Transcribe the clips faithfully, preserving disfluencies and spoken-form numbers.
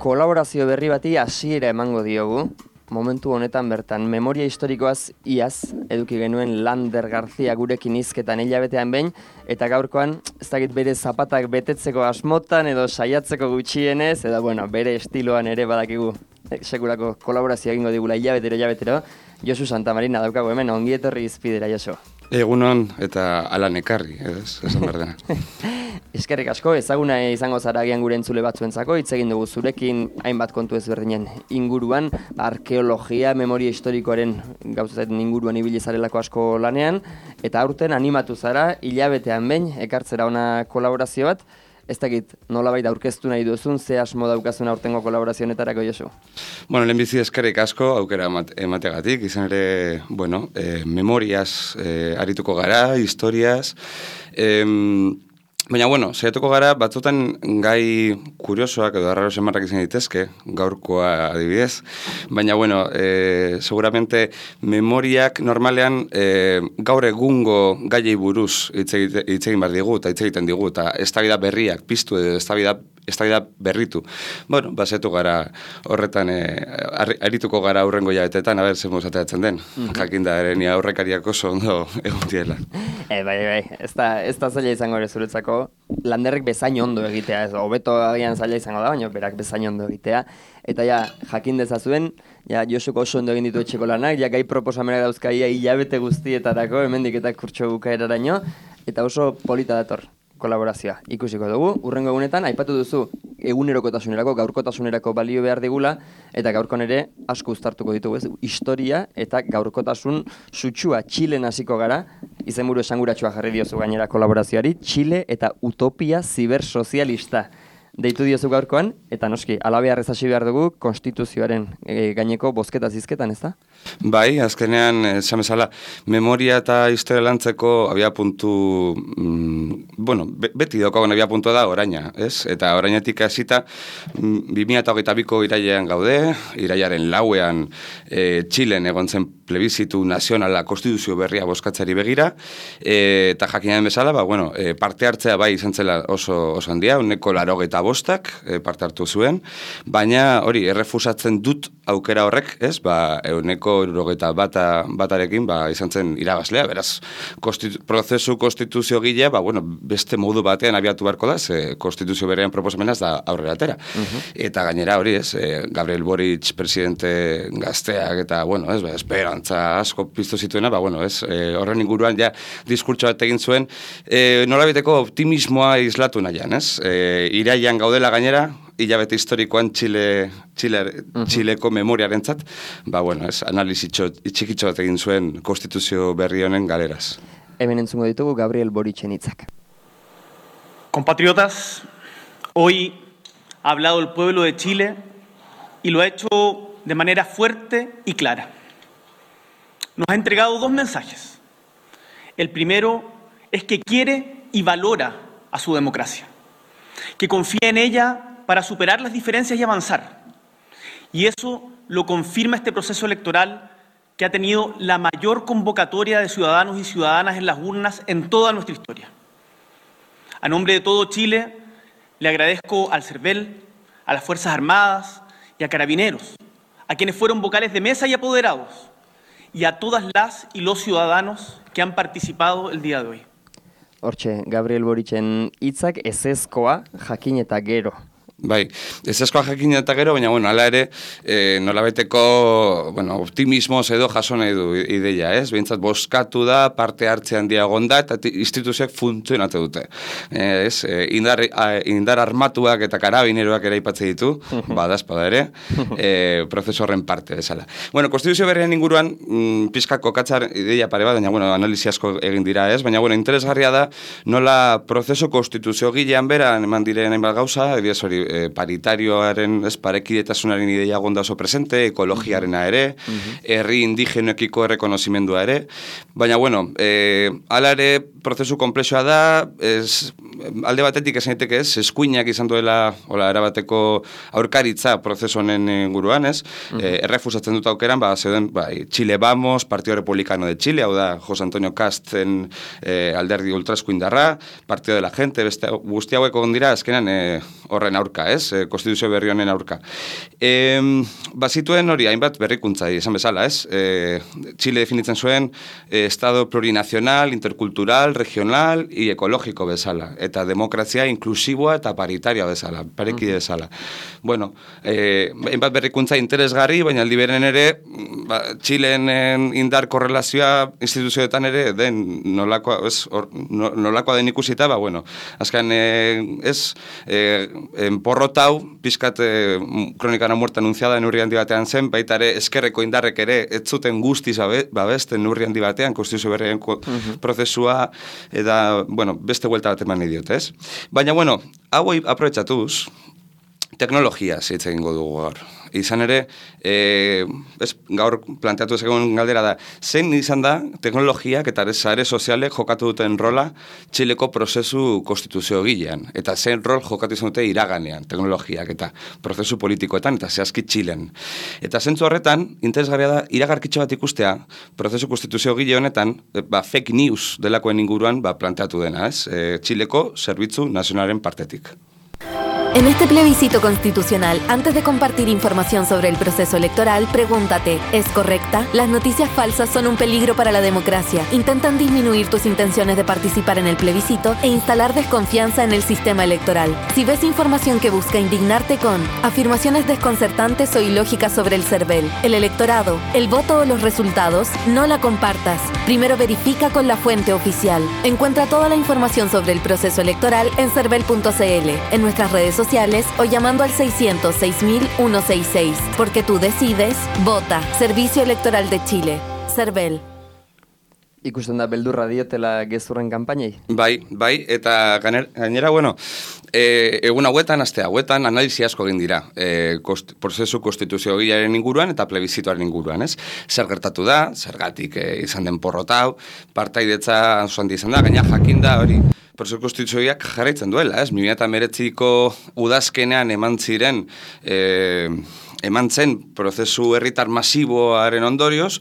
Kolaborazio berri bati hasiera emango diogu. Momentu honetan bertan, memoria historikoaz iaz, eduki genuen Lander Garzia gurekin hizketan hilabetean behin, eta gaurkoan, ez dakit bere zapatak betetzeko asmotan edo saiatzeko gutxienez, edo bueno, bere estiloan ere badakigu sekulako kolaborazio egingo digula hilabetero, hilabetero, Josu Santamarina daukagu hemen, ongi etorri izpidera, Josu. Egunon eta alan ekarri, ez, esan behar dena. Eskerrik asko, ezaguna izango zara agian gure entzule batzuentzako, hitz egin dugu zurekin hainbat kontu ezberdinen inguruan, arkeologia, memoria historikoaren gauzatzen inguruan ibili zarelako asko lanean, eta aurten animatu zara, hilabetean behin, ekartzera ona kolaborazio bat, ez dakit nolabait aurkeztu nahi duzun, ze asmo daukazun aurtengo kolaborazionetarako, Josu? Bueno, lehenbizi eskerrik asko, aukera emategatik, izan ere, bueno, eh, memoriaz eh, arituko gara, historiaz, eh, baina, bueno, saiatuko gara, batzutan gai kuriosoak edo arraro semarrak izan ditezke, gaurkoa adibidez, baina, bueno, e, seguramente memoriak normalean e, gaur egungo gaiei buruz hitz egin behar digu, eta hitz egiten digu, eta eztabaida berriak piztu edo eztabaida eztabaida berritu. Bueno, basetu gara horretan, e, arituko gara aurrengo jabetetan, a ber, zer mozateatzen den. Mm-hmm. Jakinda ere, ni aurrekariak oso ondo egon diela. E, bai, bai, ez da, ez da zaila izango ere zuretzako, Landerrek bezain ondo egitea, ez, hobeto agian zaila izango da, baina berak bezain ondo egitea. Eta ja, jakin dezazuen, ja, Josuko oso ondo egin ditu etxeko lanak, ja, gai proposamenak dauzkaia hilabete guztietarako, hemendik eta kurtso bukaeraraino, eta oso polita dator kolaborazioa. Ikusiko dugu, urrengo egunetan, aipatu duzu egunerokotasunerako, gaurkotasunerako balio behar digula, eta gaurkon ere asko uztartuko ditugu, ez? Historia eta gaurkotasun sutsua Txilen hasiko gara, izenburu esanguratsua jarri diozu gainera kolaborazioari, Txile eta utopia zibersozialista. Deitu diozu gaurkoan, eta noski, alabeharrez hasi behar dugu, konstituzioaren e, gaineko bozketa zizketan, ez da? Bai, azkenean, esan bezala, memoria eta historia lantzeko abia puntu, mm, bueno, be, beti daukagun abia puntua da oraina, ez? Eta orainatik hasita, bi mila hogeita biko irailean gaude, irailaren lauean e, Txilen egon zen plebizitu nazionala konstituzio berria bozkatzari begira, e, eta jakinaren bezala, ba, bueno, e, parte hartzea bai izan zela oso, oso handia, uneko larogeita bostak e, parte hartu zuen, baina hori, errefusatzen dut aukera horrek, ez, ba, euneko larogeita bata, batarekin, ba, izan zen irabazlea, beraz, konstitu, prozesu konstituzio gilea, ba, bueno, beste modu batean abiatu beharko da, ze konstituzio berean proposamenaz da aurrera atera. Uh-huh. Eta gainera hori, ez, e, Gabriel Boric presidente gazteak, eta, bueno, ez, ba, esperantza asko piztu zituena, ba, bueno, ez, e, horren inguruan ja diskurtso bat egin zuen, e, nolabiteko optimismoa islatu nahian, ez, e, iraian gaudela gainera, hilabete historikoan Txile, Txile, uh-huh. Txileko memoriarentzat, ba, bueno, ez, analizi txikitxo bat egin zuen konstituzio berri honen galeraz. Hemen entzungo ditugu Gabriel Boricen hitzak. Compatriotas, hoy ha hablado el pueblo de Chile y lo ha hecho de manera fuerte y clara. Nos ha entregado dos mensajes. El primero es que quiere y valora a su democracia, que confía en ella para superar las diferencias y avanzar. Y eso lo confirma este proceso electoral que ha tenido la mayor convocatoria de ciudadanos y ciudadanas en las urnas en toda nuestra historia. A nombre de todo Chile, le agradezco al CERVEL, a las Fuerzas Armadas y a Carabineros, a quienes fueron vocales de mesa y apoderados, y a todas las y los ciudadanos que han participado el día de hoy. Hortxe, Gabriel Boricen hitzak ezezkoa jakin eta gero. Bai, ezezkoa jakin eta gero, baina, bueno, ala ere, e, nolabeteko, bueno, optimismoz edo jaso nahi du ideia, ez? Behintzat, bozkatu da, parte hartzean diagon da, eta instituzioak funtzionatu dute. E, ez, e, indar, a, indar armatuak eta karabineroak ere aipatze ditu, badazpada ere, e, prozesu horren parte bezala. Bueno, konstituzio berrien inguruan, mm, pizka kokatzar ideia pare bat, baina, bueno, analizi asko egin dira, ez? Baina, bueno, interesgarria da, nola prozesu konstituzio gilean beran eman diren hainbat gauza, edo hori, E, paritarioaren, ez, parekidetasunaren ideia gonda oso presente, ekologiarena ere, herri indigenoekiko errekonozimendua ere, baina, bueno, e, ala ere, prozesu komplexoa da, ez, alde batetik esan daiteke ez, eskuinak izan duela, hola, erabateko aurkaritza prozesu honen inguruan, ez, uh-huh. e, errefusatzen dut aukeran, ba, zeuden, bai, Chile Vamos, Partido Republicano de Chile, hau da, José Antonio Casten e, alderdi ultraeskuindarra, Partido de la Gente, beste, guzti hauek egon dira, azkenan, e, horren aurka aurka, ez? E, konstituzio berri honen aurka. E, bazituen hori, hainbat berrikuntza, esan bezala, ez? E, Chile definitzen zuen e, estado plurinazional, interkultural, regional y ekologiko bezala. Eta demokrazia inklusiboa eta paritaria bezala, parekide bezala. Bueno, e, hainbat berrikuntza interesgarri, baina aldi beren ere, ba, Chileen indar korrelazioa instituzioetan ere den nolakoa, ez, or, nolakoa den ikusita, ba, bueno, azken, e, ez, e, porrotau, pizkat e, kronikana muerta anunciada neurri handi batean zen, baita ere eskerreko indarrek ere ez zuten guztiz babesten neurri handi batean, konstituzio berrien uh-huh. prozesua, eta, bueno, beste vuelta bat eman idiot, ez? Baina, bueno, hau aprobetxatuz, teknologia zitz egingo dugu gaur. Izan ere, e, ez, gaur planteatu ezegun galdera da, zein izan da teknologiak eta sare sozialek jokatu duten rola Txileko prozesu konstituzio gilean, eta zein rol jokatu izan dute iraganean, teknologiak eta prozesu politikoetan, eta zehazki Txilen. Eta zentzu horretan, interesgarria da, iragarkitxo bat ikustea, prozesu konstituzio gile honetan, ba, fake news delakoen inguruan ba, planteatu dena, ez? E, Txileko zerbitzu nazionalen partetik. En este plebiscito constitucional, antes de compartir información sobre el proceso electoral, pregúntate, ¿es correcta? Las noticias falsas son un peligro para la democracia. Intentan disminuir tus intenciones de participar en el plebiscito e instalar desconfianza en el sistema electoral. Si ves información que busca indignarte con afirmaciones desconcertantes o ilógicas sobre el CERVEL, el electorado, el voto o los resultados, no la compartas. Primero verifica con la fuente oficial. Encuentra toda la información sobre el proceso electoral en cervel punto c l, en nuestras redes sociales, sociales o llamando al seiscientos seis mil ciento sesenta y seis. Porque tú decides, vota. Servicio Electoral de Chile. CERVEL. Ikusten da beldurra diotela gezurren kanpainei? Bai, bai, eta gainera, bueno, e, egun hauetan, aste hauetan, analisi asko egin dira, e, kost, prozesu konstituzio gilearen inguruan eta plebizituaren inguruan, ez? Zer gertatu da, zergatik e, izan den porrotau, partaidetza zoan izan da, gaina jakinda hori, prozesu konstituzioak jarraitzen duela, ez? bi mila hemeretziko udazkenean eman ziren, e, eman zen prozesu herritar masiboaren ondorioz,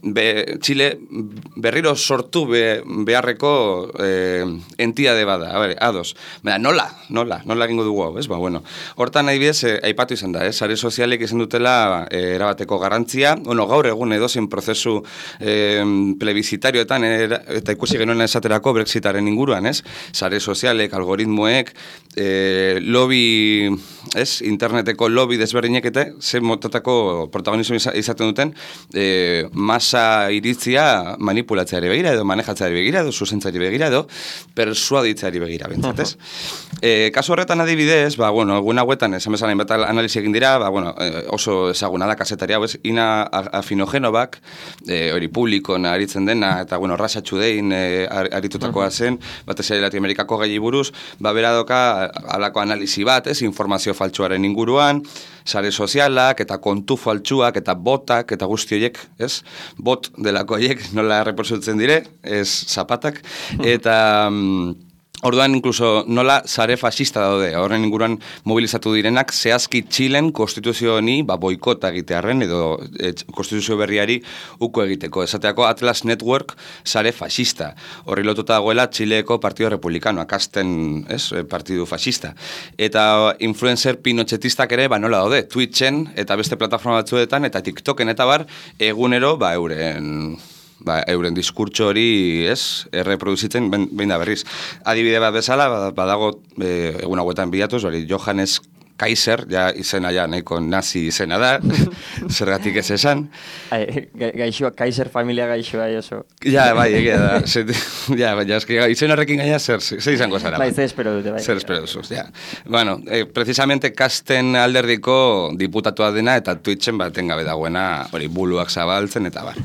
Be, Chile berriro sortu be, beharreko eh, entitate bada, a ber, ados. Baina, nola, nola, nola egingo dugu hau, ez? Ba, bueno, hortan adibidez, eh, aipatu izan da, ez? Sare sozialek izan dutela eh, erabateko garrantzia, bueno, gaur egun edozein prozesu eh, plebiszitarioetan, era, eta ikusi genuen esaterako Brexitaren inguruan, ez? Sare sozialek, algoritmoek, eh, lobby, ez? Interneteko lobby desberdinek eta ze motatako protagonismo izaten duten, eh, masa iritzia manipulatzeari begira edo manejatzeari begira edo zuzentzeari begira edo persuaditzeari begira bentzatez. Uh-huh. E, kasu horretan adibidez, ba, bueno, egun hauetan esan bezala inbat analisi egin dira, ba, bueno, oso ezaguna da kazetari hau, ez, Ina Afinogenobak, e, hori publikon aritzen dena, eta, bueno, Rasha Todayn e, aritutakoa zen, batez ere Latinoamerikako gai buruz, ba, beradoka halako analisi bat, ez, informazio faltsuaren inguruan, sare sozialak, eta kontu faltsuak, eta botak, eta guzti horiek, ez? Bot delako horiek nola reportatzen dire, ez zapatak, eta orduan inkluso nola sare fascista daude, horren inguruan mobilizatu direnak, zehazki Txilen konstituzio honi ba, boikota egitearren, edo e, konstituzio berriari uko egiteko. Esateako Atlas Network sare fascista. Horri lotuta dagoela Txileko Partido Republicano, akasten, ez, partidu fascista. Eta influencer pinochetistak ere, ba, nola daude, Twitchen eta beste plataforma batzuetan, eta TikToken eta bar, egunero, ba, euren... Ba, euren diskurtso hori, ez, erreproduzitzen, behin da berriz. Adibide bat bezala, badago, e, egun hauetan bilatuz, hori, Johannes Kaiser, ja izena ja, nahiko nazi izena da, zergatik ez esan. Ai, gaixoa, Kaiser familia gaixoa, oso. Ja, bai, egia da. Ja, bai, eski, izen horrekin gaina zer, zer izango zara. Bai, zer espero dute, bai. Zer espero duzuz, ja. Bueno, eh, precisamente kasten alderdiko diputatua dena eta Twitchen baten gabe dagoena, hori, buluak zabaltzen eta bar.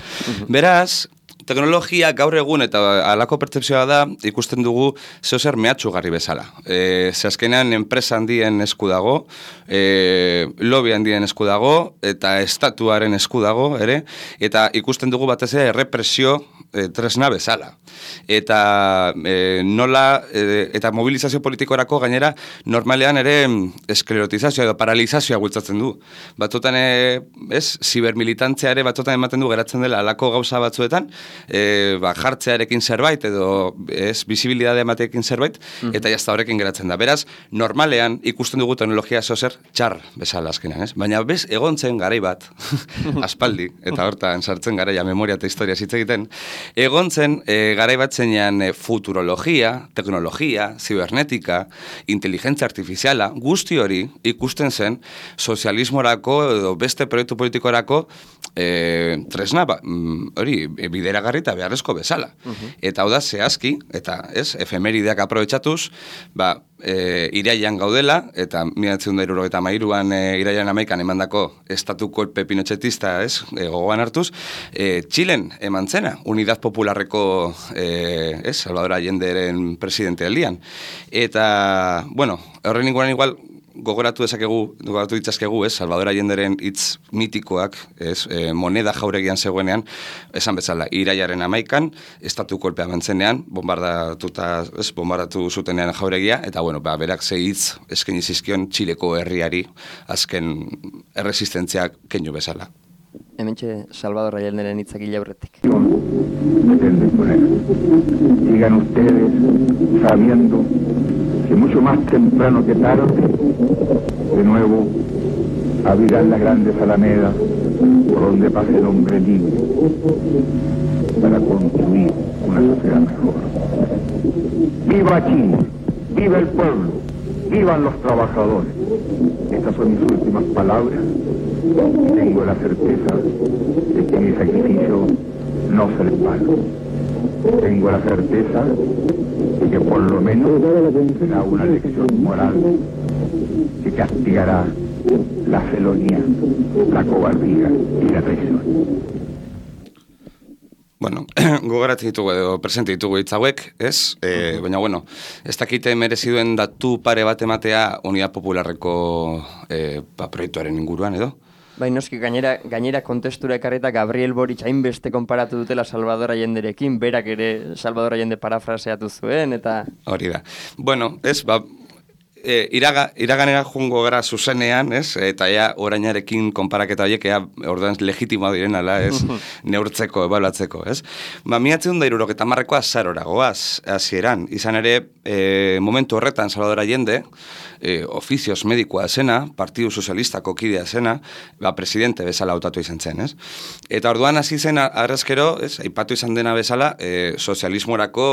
Beraz, teknologia gaur egun eta halako pertzepzioa da, ikusten dugu zeozer mehatxugarri bezala. E, ze azkenean enpresa handien esku dago, e, lobby handien esku dago, eta estatuaren esku dago, ere, eta ikusten dugu batez ere represio e, tresna bezala. Eta e, nola, e, eta mobilizazio politikorako gainera normalean ere esklerotizazioa edo paralizazioa bultzatzen du. Batzutan, e, ez, zibermilitantzia ere batzutan ematen du geratzen dela alako gauza batzuetan, e, ba, jartzearekin zerbait edo ez, bizibilidadea emateekin zerbait, mm-hmm. eta jazta horrekin geratzen da. Beraz, normalean ikusten dugu teknologia zozer txar bezala azkenean, ez? Baina bez, egontzen garai bat, aspaldi, eta hortan sartzen garaia memoria eta historia hitz egiten, egontzen e, garai bat zeinean e, futurologia, teknologia, zibernetika, inteligentzia artifiziala, guzti hori ikusten zen sozialismorako edo beste proiektu politikorako e, tresna, ba, hori, bideragarri eta beharrezko bezala. Uh-huh. Eta hau da, zehazki, eta ez, efemerideak aprobetxatuz, ba, E, iraian gaudela, eta mila bederatziehun eta hirurogeita hamairuan e, iraian hamaikan emandako estatu kolpe pinochetista, ez, e, gogoan hartuz, e, Txilen eman zena, Unidad Popularreko, e, ez, Salvador Allenderen presidente aldian. Eta, bueno, horren inguruan igual, gogoratu dezakegu, gogoratu ditzazkegu, ez, Salvador Allenderen hitz mitikoak, ez, e, moneda jauregian zegoenean, esan bezala, iraiaren hamaikan, estatu kolpea bantzenean, bombardatuta, ez, bombardatu zutenean jauregia, eta, bueno, ba, berak ze hitz eskaini zizkion Txileko herriari azken erresistentziak keinu bezala. Hementxe Salvador Allenderen hitzak aurretik. Sigan ustedes sabiendo que mucho más temprano que tarde, de nuevo abrirán las grandes alamedas por donde pase el hombre libre para construir una sociedad mejor. ¡Viva Chile! ¡Viva el pueblo! ¡Vivan los trabajadores! Estas son mis últimas palabras y tengo la certeza de que mi sacrificio no será en vano. Tengo la certeza de que por lo menos será una lección moral que castigará la felonía, la cobardía y la traición. Bueno, gogoratzen ditugu edo presente ditugu hitz hauek, ez? E, baina, bueno, ez dakite mereziduen datu pare bat ematea Unidad Popularreko e, ba, proiektuaren inguruan, edo? Bai, noski, gainera, gainera kontestura ekarreta Gabriel Boric hainbeste konparatu dutela Salvador Allenderekin, berak ere Salvador Allende parafraseatu zuen, eta... Hori da. Bueno, ez, ba... E, iraga, iraganera jungo gara zuzenean, ez? Eta ja orainarekin konparaketa horiek ea orduan legitimoa direnala, ez? Neurtzeko, ebaluatzeko, ez? Ba, mila bederatziehun eta hirurogeita hamarrekoa azarora goaz, hasieran. Izan ere, e, momentu horretan Salvador Allende, e, ofizioz medikoa zena, Partidu Sozialistako kidea zena, ba, presidente bezala hautatu izan zen, ez? Eta orduan hasi zen arrezkero, ez? Aipatu izan dena bezala, e, sozialismorako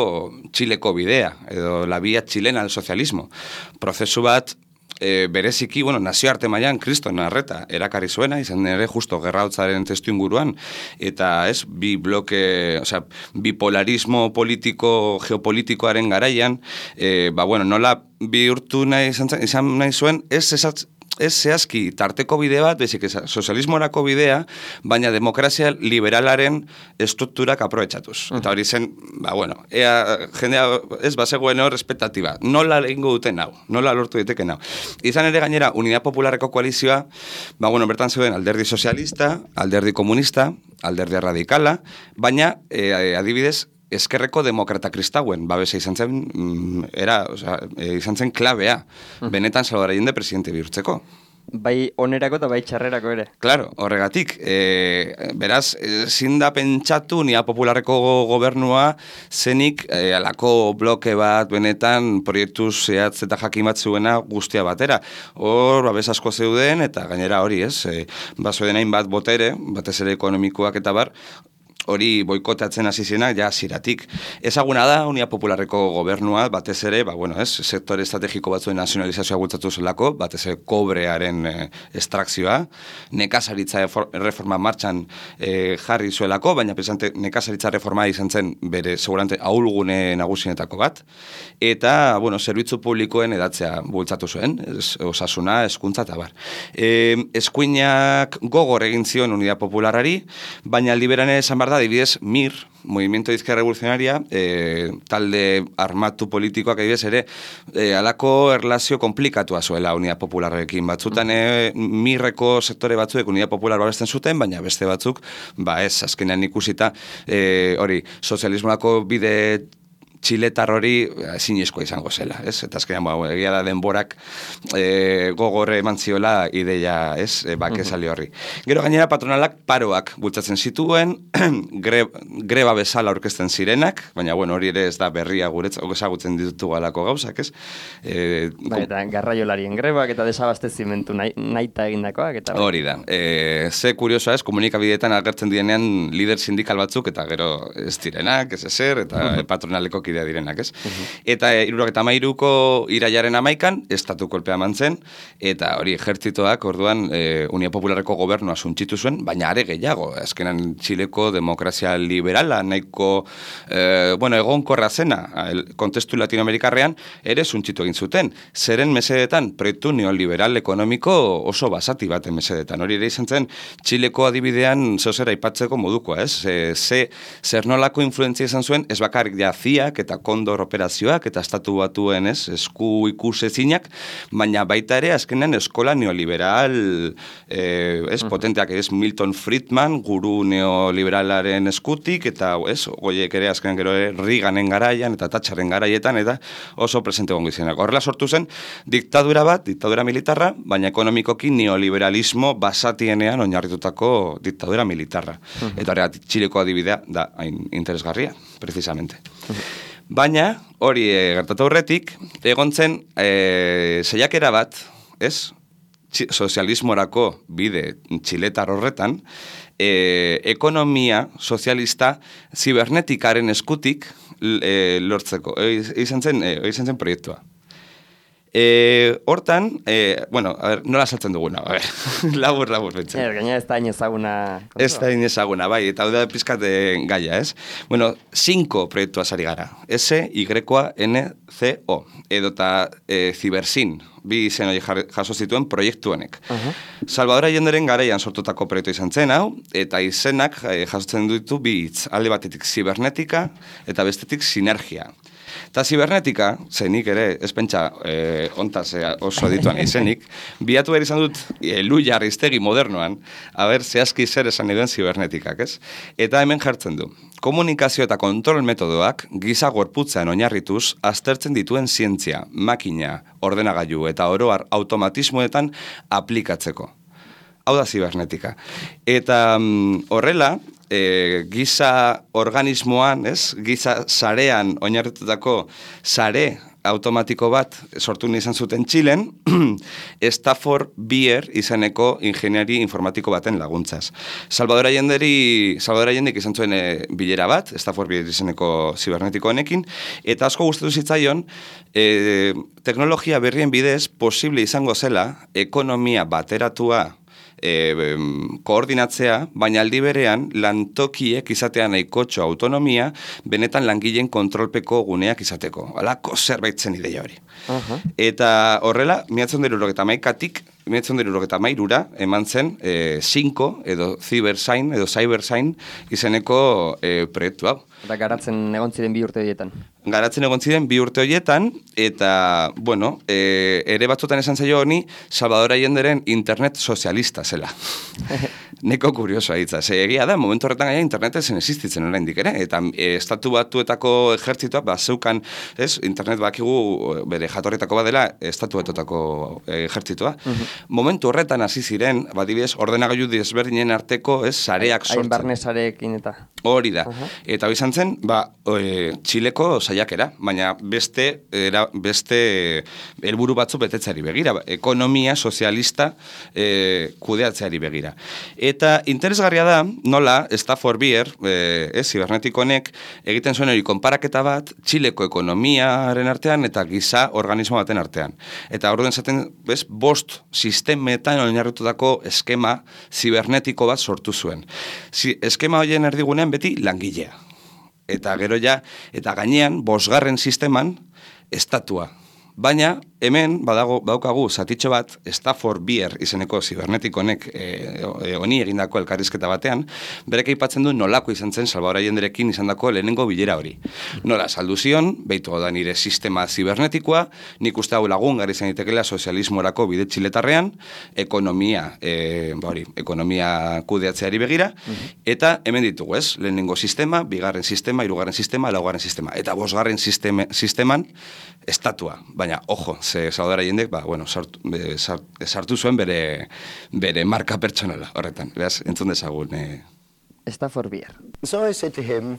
Txileko bidea, edo la vía chilena del socialismo. Prozesu bat, e, bereziki, bueno, nazioarte mailan kriston arreta erakarri zuena, izan ere justo gerrautzaren testu inguruan, eta ez, bi bloke, osea, bipolarismo politiko, geopolitikoaren garaian, e, ba, bueno, nola bihurtu nahi izan, izan nahi zuen, ez esatz, ez zehazki tarteko bide bat, bezik sozialismorako bidea, baina demokrazia liberalaren estrukturak aprobetxatuz. Uh-huh. Eta hori zen, ba, bueno, ea, jendea, ez, bazegoen hor respetatiba. Nola egingo duten hau, nola lortu diteken hau. Izan ere gainera, Unidad Popularreko koalizioa, ba, bueno, bertan zeuden alderdi sozialista, alderdi komunista, alderdi radikala, baina, e, adibidez, eskerreko demokrata kristauen, babesa izan zen, mm, era, oza, e, izan zen klabea, uh-huh. benetan Salvador Allende presidente bihurtzeko. Bai onerako eta bai txarrerako ere. Claro, horregatik. E, beraz, ezin da pentsatu Unidad Popularreko gobernua zenik e, alako bloke bat benetan proiektu zehatz eta jakin bat zuena guztia batera. Hor, babes asko zeuden eta gainera hori, ez? E, bazoen hain bat botere, batez ere ekonomikoak eta bar, hori boikotatzen hasi zenak ja ziratik. Ezaguna da Unidad Popularreko gobernua, batez ere, ba, bueno, ez, sektore estrategiko batzuen nazionalizazioa bultzatu zelako, batez ere kobrearen e, estrakzioa, nekazaritza reforma martxan e, jarri zuelako, baina pesante nekazaritza reforma izan zen bere segurante ahulgune nagusienetako bat, eta, bueno, zerbitzu publikoen edatzea bultzatu zuen, ez, osasuna, hezkuntza eta bar. E, eskuinak gogor egin zion Unidad Popularrari, baina aldi beran esan behar da da, adibidez, M I R, Movimiento de Izquierda Revolucionaria, e, talde armatu politikoak adibidez ere, e, alako erlazio komplikatua zuela Unidad Popularrekin. Batzutan e, M I R-eko sektore batzuek Unidad Popular babesten zuten, baina beste batzuk, ba ez, azkenean ikusita, e, hori, sozialismoako bide txiletar hori zinezkoa izango zela, ez? Eta azkenean, ba, egia da denborak e, gogorre eman ziola ideia, ez? E, bake sali horri. Gero gainera patronalak paroak bultzatzen zituen, gre, greba bezala aurkezten zirenak, baina, bueno, hori ere ez da berria guretz, ezagutzen ditutu galako gauzak, ez? E, ba, eta garraiolarien grebak eta desabastezimentu nahi, naita egindakoak, eta... Hori da. E, ze kuriosoa ez, komunikabideetan agertzen dienean lider sindikal batzuk, eta gero ez direnak, ez ezer, eta patronaleko kidea direnak, ez? Uh-huh. Eta hirurogeita hamairuko irailaren hamaikan, estatu kolpea eman zen, eta hori ejertzitoak orduan e, Unia Popularreko gobernua suntxitu zuen, baina are gehiago, azkenan Txileko demokrazia liberala, nahiko, e, bueno, egonkorra zena, el, kontestu latinoamerikarrean, ere suntxitu egin zuten. Zeren mesedetan, proiektu neoliberal ekonomiko oso basati baten mesedetan. Hori ere izan zen, Txileko adibidean zehozera aipatzeko modukoa, ez? E, ze, zer nolako influentzia izan zuen, ez bakarrik jaziak, eta kondor operazioak, eta estatu batuen, ez, esku ikusezinak, baina baita ere, azkenean eskola neoliberal, eh, ez, uh-huh. potenteak, ez, Milton Friedman, guru neoliberalaren eskutik, eta, ez, goiek ere, azkenean gero, Reaganen garaian, eta Thatcherren garaietan, eta oso presente gongo izenak. Horrela sortu zen, diktadura bat, diktadura militarra, baina ekonomikoki neoliberalismo basatienean oinarritutako diktadura militarra. Uh-huh. Eta horregat, Txileko adibidea da hain interesgarria, precisamente. Uh-huh. Baina, hori e, gertatu aurretik, egon zen e, saiakera bat, ez? Txi, sozialismorako bide txiletar horretan, e, ekonomia sozialista zibernetikaren eskutik e, lortzeko. E, izan zen, e, izan zen proiektua. E, hortan, e, bueno, a ver, nola saltzen duguna, a ver, labur, labur, bentzen. Er, gaina ez da inezaguna. Ez da inezaguna, bai, eta hau da pizkat gaia, ez? Bueno, cinco proiektua sari gara, S, Y, N, C, O, edota e, Zibersin, bi izen hori jaso zituen proiektu honek. Uh-huh. Salvador Allenderen garaian sortutako proiektu izan zen hau, eta izenak e, jasotzen ditu bi hitz, alde batetik zibernetika, eta bestetik sinergia. Eta zibernetika, zenik ere, ez pentsa e, ontaz e, oso dituan izenik, biatu behar izan dut e, Luia Aristegi modernoan, haber zehazki zer esan eduen zibernetikak, ez? Eta hemen jartzen du. Komunikazio eta kontrol metodoak giza gorputzean oinarrituz aztertzen dituen zientzia, makina, ordenagailu eta oroar automatismoetan aplikatzeko. Hau da zibernetika. Eta mm, horrela, e, giza organismoan, ez? Giza sarean oinarritutako sare automatiko bat sortu izan zuten Txilen, Stafford Beer izeneko ingeniari informatiko baten laguntzaz. Salvador Allenderi, Salvador Allendek izan zuen e, bilera bat, Stafford Beer izeneko zibernetiko honekin, eta asko gustatu zitzaion, e, teknologia berrien bidez posible izango zela ekonomia bateratua E, koordinatzea, baina aldi berean lantokiek izatea nahikotxo autonomia, benetan langileen kontrolpeko guneak izateko. Halako zerbait zen ideia hori. Uh-huh. Eta horrela, miratzen dira urogeta maikatik, miratzen dira urogeta mairura, eman zen e, cinco, edo Cybersign, edo Cybersign izeneko e, proiektu hau. Eta garatzen egon ziren bi urte horietan. Garatzen egon ziren bi urte horietan, eta, bueno, e, ere batzutan esan zaio honi, Salvador Allenderen internet sozialista zela. Neko kuriosoa hitza. Ze egia da, momentu horretan gaia internet zen existitzen oraindik ere, eta e, estatu batuetako ejertzituak, ba, zeukan, ez, internet bakigu bere jatorretako badela, estatu batuetako ejertzitua. Uh-huh. Momentu horretan hasi ziren, badibidez, ordenagailu desberdinen arteko, ez, sareak sortzen. Hain barne sareekin eta. Hori da. Uh-huh. Eta izan zen, ba, e, Txileko saiakera, baina beste, era, beste helburu batzu betetzeari begira, ekonomia sozialista e, kudeatzeari begira. Eta interesgarria da, nola, Stafford Beer, e, ez, zibernetiko honek, egiten zuen hori konparaketa bat, Txileko ekonomiaren artean eta giza organismo baten artean. Eta orduan zaten, bez, bost sistemetan oinarritutako eskema zibernetiko bat sortu zuen. Si, eskema horien erdigunean beti langilea. Eta gero ja, eta gainean, bosgarren sisteman, estatua. Baina, hemen badago badaukagu zatitxo bat Stafford Beer izeneko zibernetik honek e, honi egindako elkarrizketa batean, berek aipatzen du nolako izan zen Salvador Allenderekin izandako lehenengo bilera hori. Nola saldu zion, behitu da nire sistema zibernetikoa, nik uste hau lagun gari izan daitekela sozialismorako bide txiletarrean, ekonomia, e, ba hori, ekonomia kudeatzeari begira, eta hemen ditugu ez, lehenengo sistema, bigarren sistema, hirugarren sistema, laugarren sistema, eta bosgarren sistema, sisteman estatua, baina, ojo, ze Salvador Allendek, ba, bueno, sartu, be, sartu zuen bere, bere marka pertsonala horretan, beraz, entzun dezagun. Eh. Stafford Beer. So I said to him,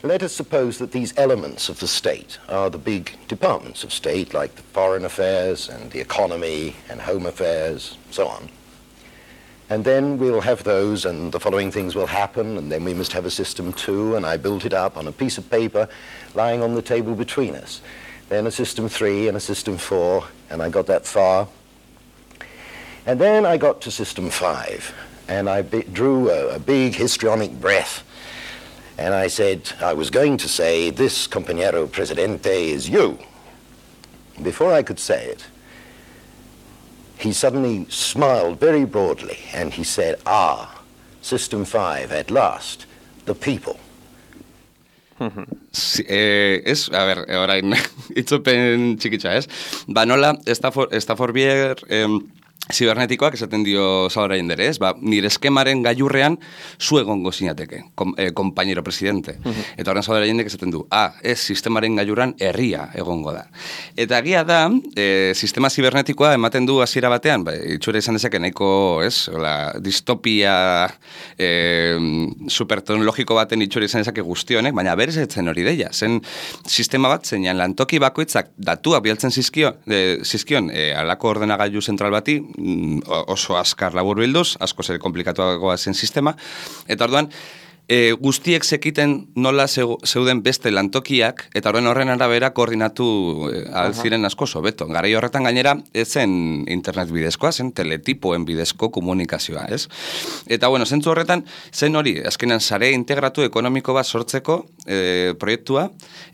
let us suppose that these elements of the state are the big departments of state, like the foreign affairs and the economy and home affairs, so on. And then we'll have those and the following things will happen, and then we must have a system two, and I built it up on a piece of paper lying on the table between us. Then a system three and a system four, and I got that far. And then I got to system five, and I be- drew a, a big histrionic breath, and I said, I was going to say, this compañero presidente is you. Before I could say it, he suddenly smiled very broadly, and he said, ah, system five, at last, the people. Si, eh, ez, a ber, orain, itzopen txikitza, ez? Ba, nola, Stafford, Stafford Beer eh, zibernetikoak esaten dio Salvador Allende, ez? Ba, nire eskemaren gailurrean zu egongo zinateke, kom, eh, compañero presidente. Uh-huh. Eta horren Salvador Allende esaten du, ah, ez, sistemaren gailurrean herria egongo da. Eta egia da, eh, sistema zibernetikoa ematen du hasiera batean, ba, itxura izan dezake nahiko, ez, la, distopia eh, superteknologiko baten itxura izan dezake guzti honek, baina berez etzen hori deia. Zen sistema bat zeinan lantoki bakoitzak datuak bialtzen zizkio, eh, zizkion eh, alako ordenagailu zentral bati, oso azkar labur bilduz, asko zer komplikatuagoa zen sistema, eta orduan, e, guztiek sekiten nola zeuden beste lantokiak, eta horren horren arabera koordinatu e, alziren asko sobeto. Garai horretan gainera, ez zen internet bidezkoa, zen teletipoen bidezko komunikazioa, ez? Eta, bueno, zentzu horretan, zen hori, azkenan sare integratu ekonomiko bat sortzeko e, proiektua,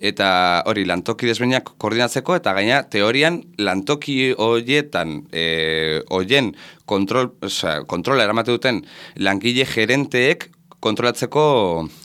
eta hori, lantoki desbeinak koordinatzeko, eta gaina, teorian, lantoki horietan, e, horien kontrol, oza, kontrola eramate duten langile gerenteek kontrolatzeko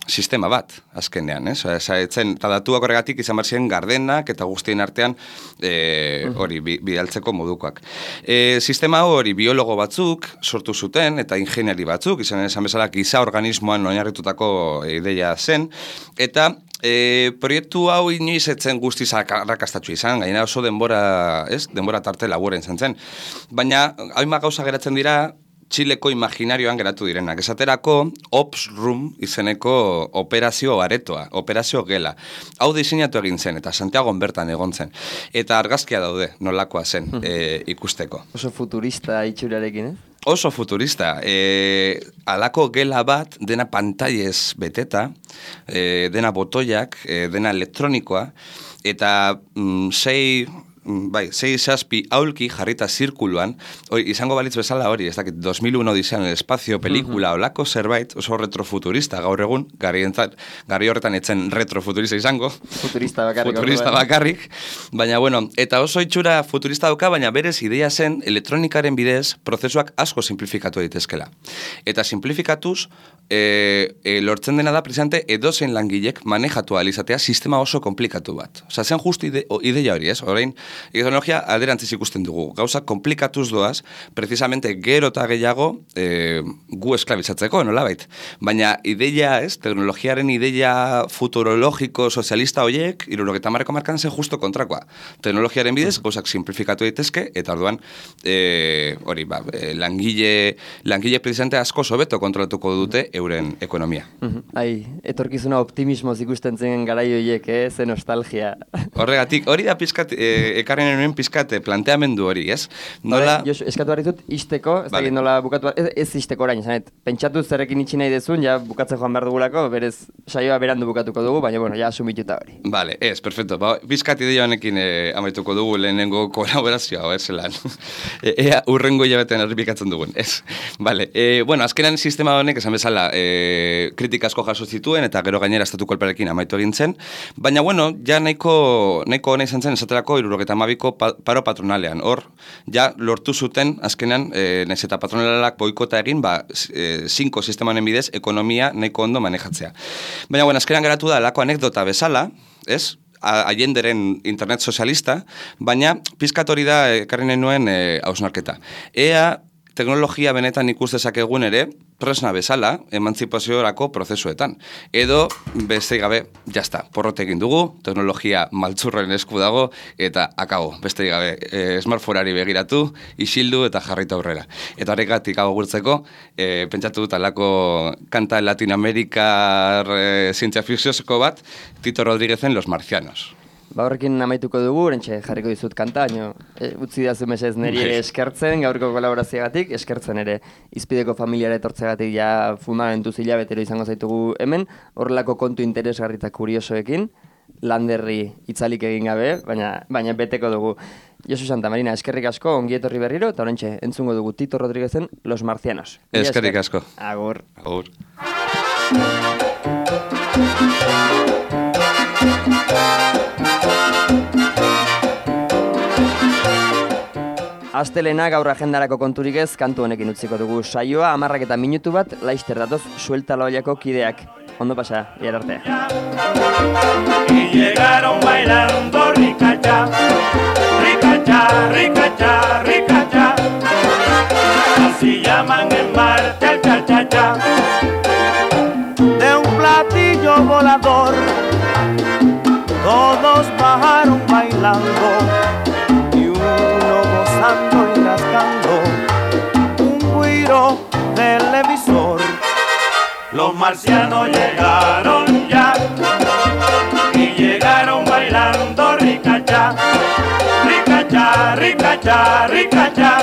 sistema bat, azkenean, ez? Oza, etzen, eta datuak horregatik izan behar ziren gardenak eta guztien artean e, hori bi, bidaltzeko modukoak. E, sistema hori biologo batzuk sortu zuten eta ingeniari batzuk, izan esan bezala giza organismoan oinarritutako ideia zen, eta E, proiektu hau inoiz etzen guztiz arrakastatxu izan, gaina oso denbora, ez? Denbora tarte laburen zen zen. Baina, hainbat gauza geratzen dira, Txileko imaginarioan geratu direnak. Esaterako, Ops Room izeneko operazio aretoa, operazio gela. Hau diseinatu egin zen, eta Santiagon bertan egon zen. Eta argazkia daude, nolakoa zen e, ikusteko. Oso futurista itxurarekin, eh? Oso futurista. E, alako gela bat, dena pantailez beteta, e, dena botoiak, e, dena elektronikoa, eta mm, sei... Bai, sei zazpi aulki jarrita zirkuluan, hori, izango balitz bezala hori, ez dakit, dos mil uno Odisea en el Espacio, pelikula, uh-huh. olako zerbait, oso retrofuturista gaur egun, gari, entzat, gari horretan etzen retrofuturista izango. Futurista bakarrik. Futurista bakarrik, baina, bueno, eta oso itxura futurista dauka, baina berez ideia zen elektronikaren bidez prozesuak asko simplifikatu daitezkela. Eta simplifikatuz, e, e, lortzen dena da, precisamente, edozein langilek manejatu alizatea sistema oso komplikatu bat. Osa, zen justu ide, ideia hori, ez? Orain, teknologia alderantziz ikusten dugu. Gauza komplikatuz doaz, precisamente gero eta gehiago e, gu esklabizatzeko, nolabait. Baina ideia, ez, teknologiaren ideia futurologiko sozialista horiek, hirurogeita hamarreko markan zen justo kontrakoa. Teknologiaren bidez, gauzak simplifikatu daitezke, eta orduan, e, hori, ba, e, langile, langile precisamente asko sobeto kontrolatuko dute euren ekonomia. Ai, etorkizuna optimismoz ikusten zen garai horiek, eh? Ze nostalgia. Horregatik, hori da pizkat, e, ekarren enuen pizkat planteamendu hori, ez? Nola... Hore, Josu, eskatu barritut, izteko, ez vale. Nola bukatu, ez, ez izteko orain, zanet, pentsatu zerrekin itxi nahi dezun, ja bukatzen joan behar dugulako, berez saioa berandu bukatuko dugu, baina, bueno, ja asumituta hori. Vale, ez, perfecto, ba, pizkat ideia honekin e, amaituko dugu lehenengo kolaborazioa, ez, zelan. e, ea urrengo hilabetean errepikatzen dugun, ez. Vale, e, bueno, azkenan sistema honek, esan bezala, e, kritika asko jaso zituen, eta gero gainera estatu kolpearekin amaitu egin zen, baina, bueno, ja nahiko, nahiko hona izan zen, esaterako, hirurogeita eta hamabiko pa, paro patronalean. Hor, ja lortu zuten, azkenean, e, nez eta patronalak boikota egin, ba, e, zinko sistemanen bidez, ekonomia nahiko ondo manejatzea. Baina, bueno, azkenean geratu da, lako anekdota bezala, ez? Allenderen internet sozialista, baina pizkat hori da ekarri nahi nuen e, hausnarketa. Ea teknologia benetan ikus dezakegun ere, tresna bezala, emantzipaziorako prozesuetan. Edo, beste gabe, jazta, porrote egin dugu, teknologia maltzurren esku dago, eta akago, beste gabe, e, smartphoneari begiratu, isildu eta jarritu aurrera. Eta horregatik hau gurtzeko, e, pentsatu dut alako kanta latinoamerikar e, zientzia fikziozko bat, Tito Rodríguezen Los Marcianos. Ba horrekin amaituko dugu, orentxe jarriko dizut kanta, baina e, utzi dazu mesez niri ere eskertzen, gaurko kolaborazioagatik, eskertzen ere izpideko familiara etortzeagatik ja fundamentuz hilabetero izango zaitugu hemen, horrelako kontu interesgarri eta kuriosoekin, landerri itzalik egin gabe, baina, baina beteko dugu. Josu Santa Marina, eskerrik asko, ongi etorri berriro, eta orentxe entzungo dugu Tito Rodríguezen Los Marcianos. Eskerrik asko. Agur. Agur. Astelena gaur agendarako konturik ez, kantu honekin utziko dugu saioa, amarrak eta minutu bat, laister datoz, suelta loiako kideak. Ondo pasa, iar arte. Y llegaron bailando ricacha, ricacha, ricacha, ricacha. Así llaman en marcha el cha-cha-cha. De un platillo volador, todos bajaron bailando. Y rascando un guiro televisor. Los marcianos llegaron ya y llegaron bailando ricacha, ricacha, ricacha, ricacha.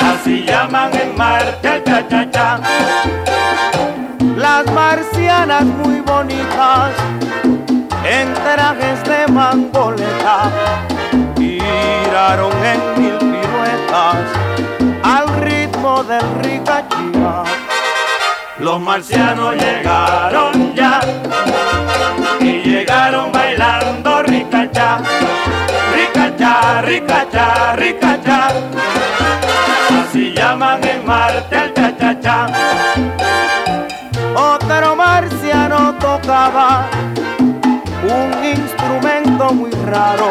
Así llaman en marcha el cha-cha-cha. Las marcianas muy bonitas en trajes de mangoleta giraron en mil piruetas al ritmo del ricachía. Los marcianos llegaron ya y llegaron bailando ricacha, ricacha, ricacha, ricacha. Así llaman en Marte el cha-cha-cha. Otro marciano tocaba un instrumento muy raro,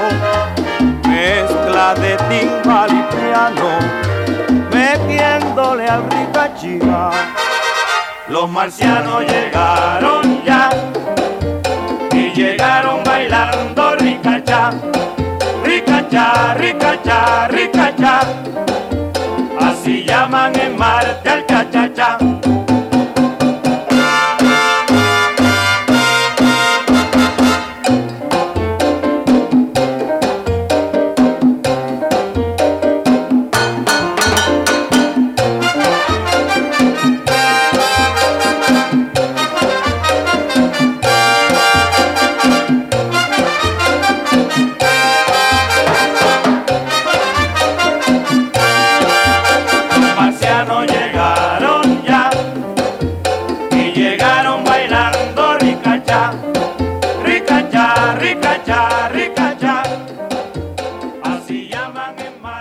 mezcla de timbal y piano, metiéndole al ricachía. Los marcianos llegaron ya y llegaron bailando ricacha, ricacha, ricacha, ricacha. Así llaman en Marte al cha-cha-cha.